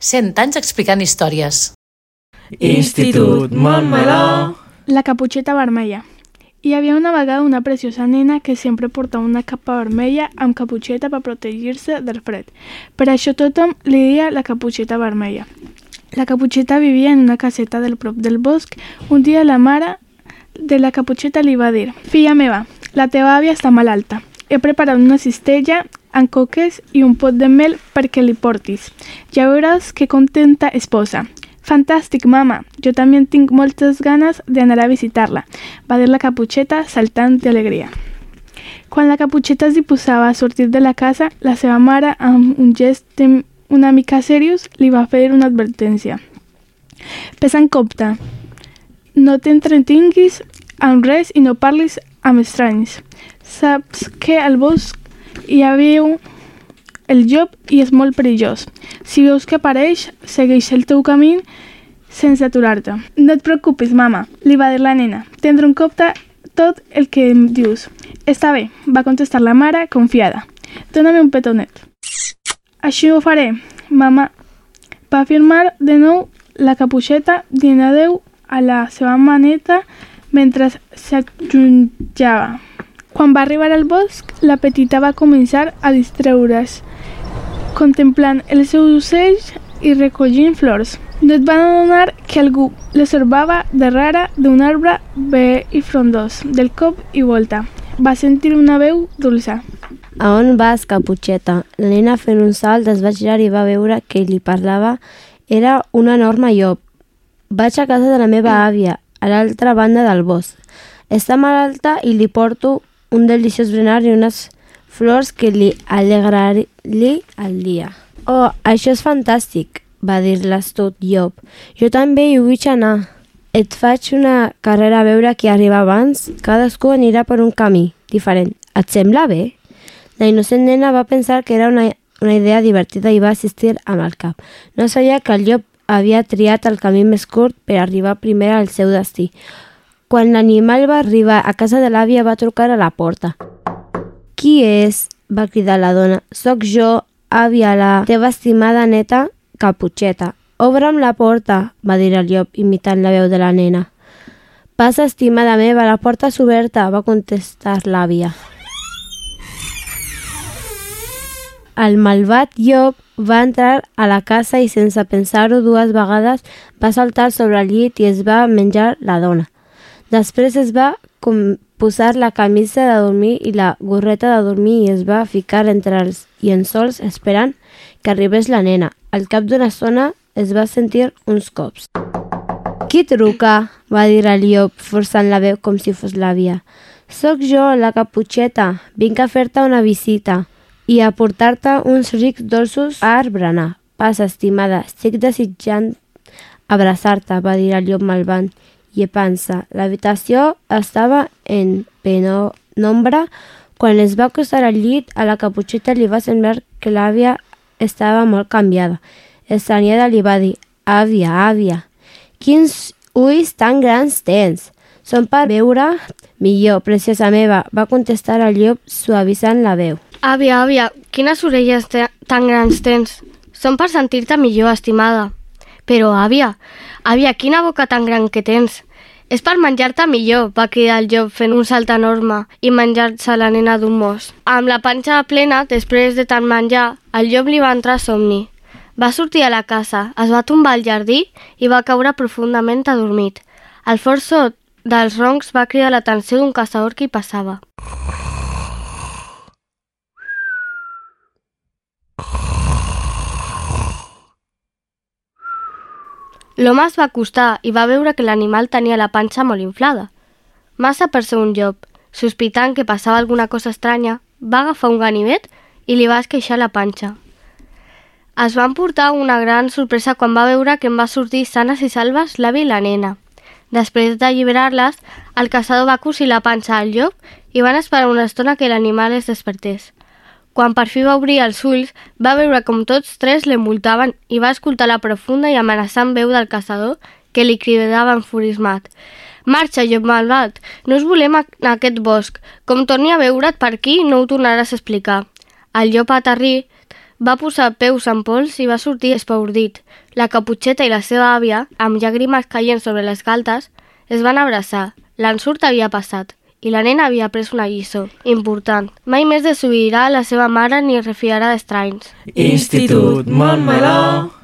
100 anys explicant històries. Institut Montmeló. La caputxeta vermella. Hi havia una vegada una preciosa nena que sempre portava una capa vermella amb caputxeta per protegir-se del fred. Per això tothom li deia la caputxeta vermella. La caputxeta vivia en una caseta del prop del bosc. Un dia la mare de la caputxeta li va dir: «Filla meva, la teva àvia està malalta. He preparat una cistella amb coques i un pot de mel perquè li portis. Ja veuràs que contenta es posa». «Fantàstic, mama! Jo també tinc moltes ganes d'anar a visitar-la», va dir la caputxeta saltant d'alegria. Quan la caputxeta es disposava a sortir de la casa, la seva mare, amb un gest una mica seriós, li va fer una advertència. «Ves en compte, no t'entretinguis amb res i no parlis amb estranys. Saps que al bosc hi havia el llop i és molt perillós. Si veus que apareix, segueix el teu camí sense aturar-te». «No et preocupis, mama», li va dir la nena. «Tindré en compte tot el que em dius». «Està bé», va contestar la mare, confiada. «Dóna'm un petonet». «Així ho faré, mama», va afirmar de nou la caputxeta, dient adeu a la seva maneta mentre s'allunyava. Quan va arribar al bosc, la petita va començar a distreure's, contemplant els seus ocells i recollint flors. No et van adonar que algú l'observava darrere d'un arbre vell i frondós. Del cop i volta va sentir una veu dolça. «A on vas, caputxeta?» La nena, fent un salt, es va girar i va veure que li parlava. Era un enorme llop. «Vaig a casa de la meva àvia, a l'altra banda del bosc. Està malalta i li porto un deliciós berenar i unes flors que li alegraré el dia». «Oh, això és fantàstic», va dir l'astut llop. «Jo també hi vull anar. Et faig una carrera a veure qui arriba abans. Cadascú anirà per un camí diferent. Et sembla bé?» La innocent nena va pensar que era una idea divertida i va assistir amb el cap. No sabia que el llop havia triat el camí més curt per arribar primer al seu destí. Quan l'animal va arribar a casa de l'àvia, va trucar a la porta. «Qui és?», va cridar la dona. «Soc jo, àvia, la teva estimada neta Caputxeta». «Obre'm la porta», va dir el llop, imitant la veu de la nena. «Passa, estimada meva, la porta és oberta», va contestar l'àvia. El malvat llop va entrar a la casa i, sense pensar-ho dues vegades, va saltar sobre el llit i es va menjar la dona. Després es va posar la camisa de dormir i la gorreta de dormir i es va ficar entre els llençols esperant que arribés la nena. Al cap d'una estona es va sentir uns cops. «Qui truca?», va dir el llop, forçant la veu com si fos l'àvia. «Soc jo, la caputxeta. Vinc a fer-te una visita i a portar-te uns rics dolços a berenar. Passa, estimada, estic desitjant abraçar-te», va dir el llop malvat, llepant-se. L'habitació estava en penombra. Quan es va acostar al llit, a la caputxeta li va semblar que l'àvia estava molt canviada. Estranyada li va dir: «Àvia, àvia, quins ulls tan grans tens! Són per veure millor, preciosa meva», va contestar el llop, suavitzant la veu. «Àvia, àvia, quines orelles tan grans tens! Són per sentir-te millor, estimada». «Però, àvia, quina boca tan gran que tens! És per menjar-te millor», va cridar el llop fent un salt enorme i menjar-se la nena d'un mos. Amb la panxa plena, després de tant menjar, el llop li va entrar somni. Va sortir a la casa, es va tombar al jardí i va caure profundament adormit. El fort so dels roncs va cridar l'atenció d'un caçador que hi passava. L'home es va acostar i va veure que l'animal tenia la panxa molt inflada. Massa per ser un llop, sospitant que passava alguna cosa estranya, va agafar un ganivet i li va esqueixar la panxa. Es van portar una gran sorpresa quan va veure que en va sortir sanes i salves l'àvia i la nena. Després d'alliberar-les, el caçador va cosir la panxa al llop i van esperar una estona que l'animal es despertés. Quan per fi va obrir els ulls, va veure com tots tres l'envoltaven i va escoltar la profunda i amenaçant veu del caçador que li cridava enfurismat: «Marxa, llop malvat! No us volem en aquest bosc. Com torni a veure't per aquí, no ho tornaràs a explicar». El llop aterrit Va posar peus en pols i va sortir espaordit. La Caputxeta i la seva àvia, amb llàgrimes caient sobre les galtes, es van abraçar. L'ensurt havia passat i la nena havia pres una lliçó important. Mai més desobeirà la seva mare ni es refiarà d'estranys. Institut Montmeló.